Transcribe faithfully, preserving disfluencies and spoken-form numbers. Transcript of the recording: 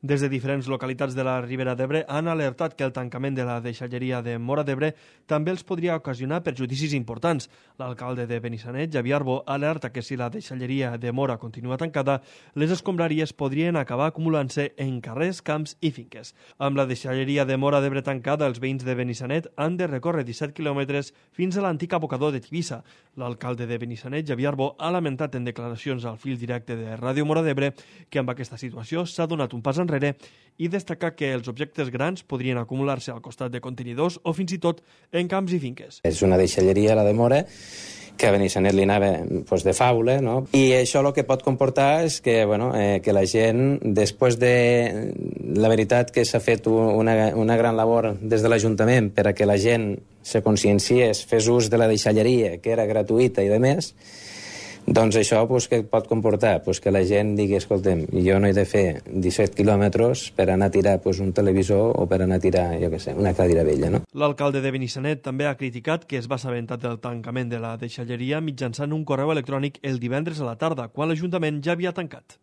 Des de diferents localitats de la Ribera d'Ebre han alertat que el tancament de la deixalleria de Móra d'Ebre també els podria ocasionar perjudicis importants. L'alcalde de Benissanet, Xavier Arbó, alerta que si la deixalleria de Móra continua tancada, les escombraries podrien acabar acumulant-se en carrers, camps i finques. Amb la deixalleria de Móra d'Ebre tancada, els veïns de Benissanet han de recórrer disset quilòmetres fins a l'antic abocador de Tivissa. L'alcalde de Benissanet, Xavier Arbó, ha lamentat en declaracions al fil directe de Ràdio Móra d'Ebre que amb aquesta situació s'ha donat un pas enrere i destacar que els objectes grans podrien acumular-se al costat de contenidors o fins i tot en camps i finques. És una deixalleria, la de Móra, que a Benissanet li anava pues, de faula, no? I això el que pot comportar és que, bueno, eh, que la gent, després de... La veritat que s'ha fet una, una gran labor des de l'Ajuntament per a que la gent se conscienciés, fes ús de la deixalleria, que era gratuïta i de més, doncs això pues, que pot comportar pues, que la gent digui, escolta'm, jo no he de fer disset quilòmetres per anar a tirar pues, un televisor o per anar a tirar, jo què sé, una cadira vella, no? L'alcalde de Benissanet també ha criticat que es va assabentar del tancament de la deixalleria mitjançant un correu electrònic el divendres a la tarda, quan l'Ajuntament ja havia tancat.